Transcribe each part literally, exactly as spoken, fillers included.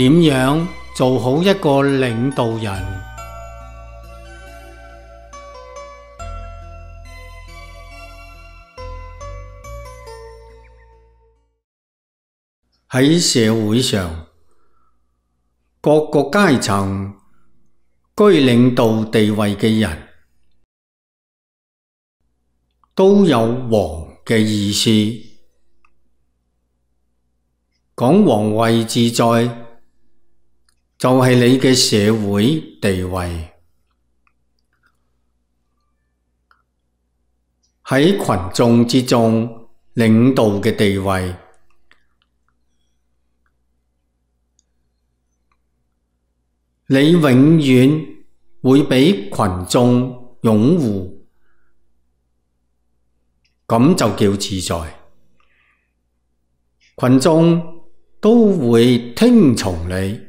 點樣做好一個領導人？喺社會上，各個階層居領導地位嘅人，都有王嘅意思。講皇位自在，就係你嘅社會地位。喺群眾之中，領導嘅地位，你永遠會俾群眾擁護，咁就叫自在。群眾都會聽從你，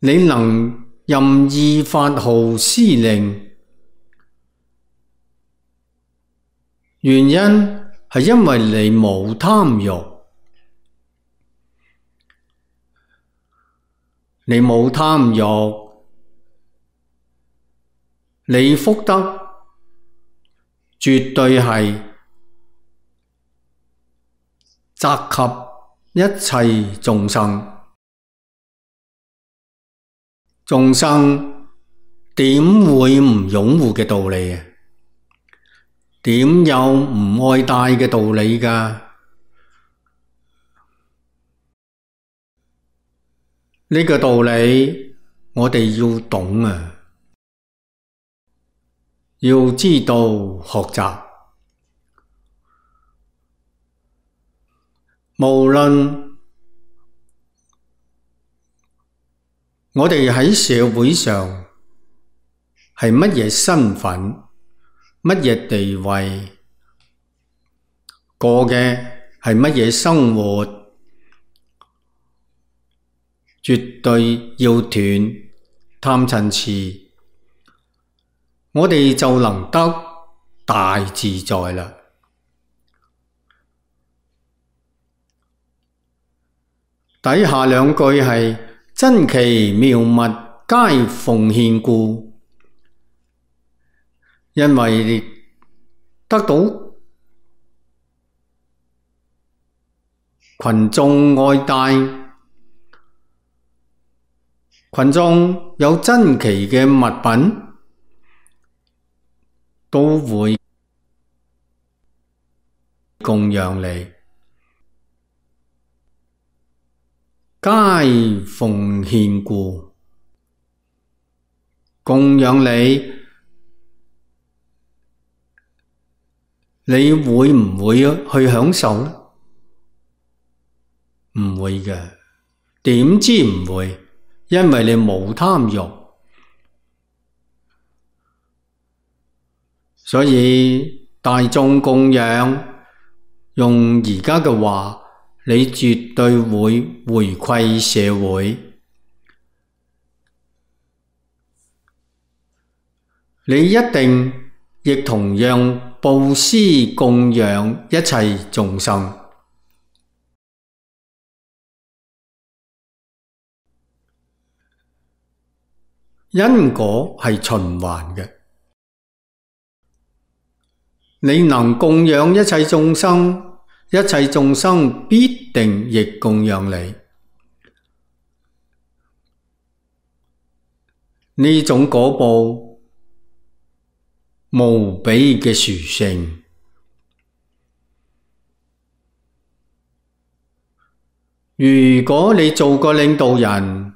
你能任意發號施令，原因係因為你冇貪欲。你冇貪欲，你福德絕對係澤及一切眾生。眾生點會唔擁護嘅道理啊？點有唔愛戴嘅道理㗎？呢個道理我哋要懂啊，要知道學習。無論我哋喺社會上係乜嘢身份、乜嘢地位，過嘅係乜嘢生活，絕對要斷貪嗔癡，我哋就能得大自在啦。底下兩句係真奇妙物皆奉獻故，因為得到群眾愛戴，群眾有珍奇嘅物品，都會供養你，皆奉獻故，供養你，你會唔會去享受呢？唔會嘅，點知唔會？因為你冇貪欲，所以大眾供養，用而家嘅話，你絕對會回饋社會。你一定亦同樣布施供養一切眾生。因果係循環嘅，你能供養一切眾生，一切眾生必定亦供養你。呢種果報無比嘅殊勝。如果你做個領導人，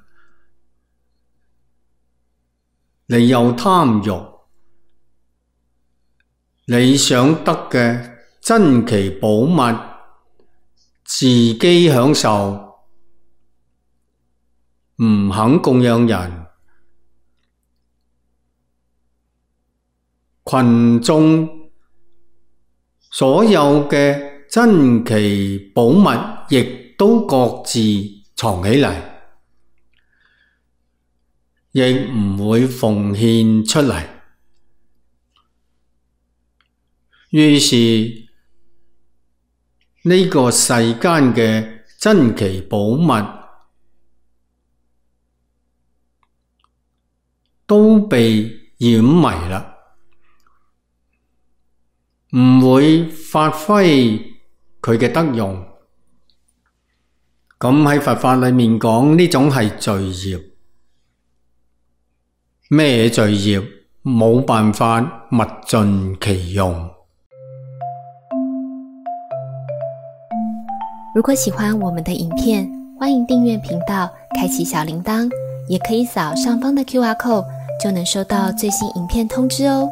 你有貪欲，你想得嘅珍奇寶物，自己享受，唔肯供養人，群眾所有嘅珍奇寶物，亦都各自藏起嚟，亦唔會奉獻出嚟。於是呢個世間嘅珍奇寶物都被掩迷啦，唔會發揮佢嘅德用。咁喺佛法裏面講，呢種係罪業。咩罪業？冇辦法物盡其用。如果喜歡我們的影片，歡迎訂閱頻道，開啟小鈴鐺，也可以掃上方的 Q R code，就能收到最新影片通知哦。